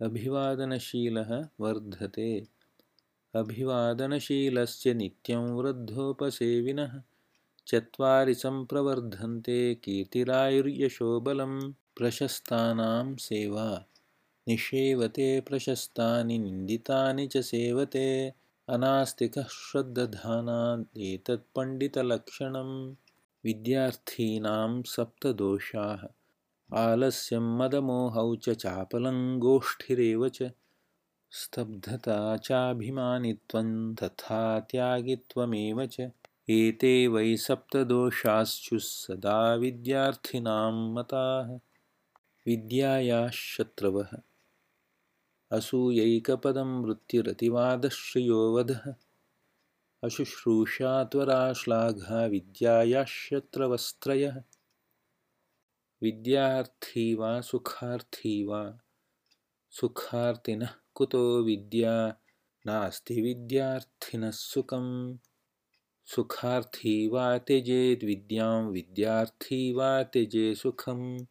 अभिवादनशीलः वर्धते। अभिवादनशीलस्य नित्यं वृद्धोपसेविनः चत्वारि सम्प्रवर्धन्ते कीर्तिरायुर्यशोबलं। प्रशस्तानां सेवा निषेवते प्रशस्तानि निन्दितानि च सेवते। अनास्तिकः श्रद्दधानात् एतत् पण्डितलक्षणम्। विद्यार्थीनां सप्तदोषाः आलस्यं मदमोहौ च चापलं गोष्ठिरेव च स्तब्धता चाभिमानित्वं तथा त्यागित्वमेव च। एते वै सप्तदोषाश्चुः सदा विद्यार्थिनां मताः। विद्यायाः शत्रवः असूयैकपदं वृत्तिरतिवादश्रियो वधः अशुश्रूषा त्वरा श्लाघा विद्यायाः शत्रवस्त्रयः। विद्यार्थी वा सुखार्थी वा सुखार्थिनः कुतो विद्या नास्ति विद्यार्थिनः सुखम्। सुखार्थी वा त्यजेद् विद्यां विद्यार्थी वा त्यजे सुखम्।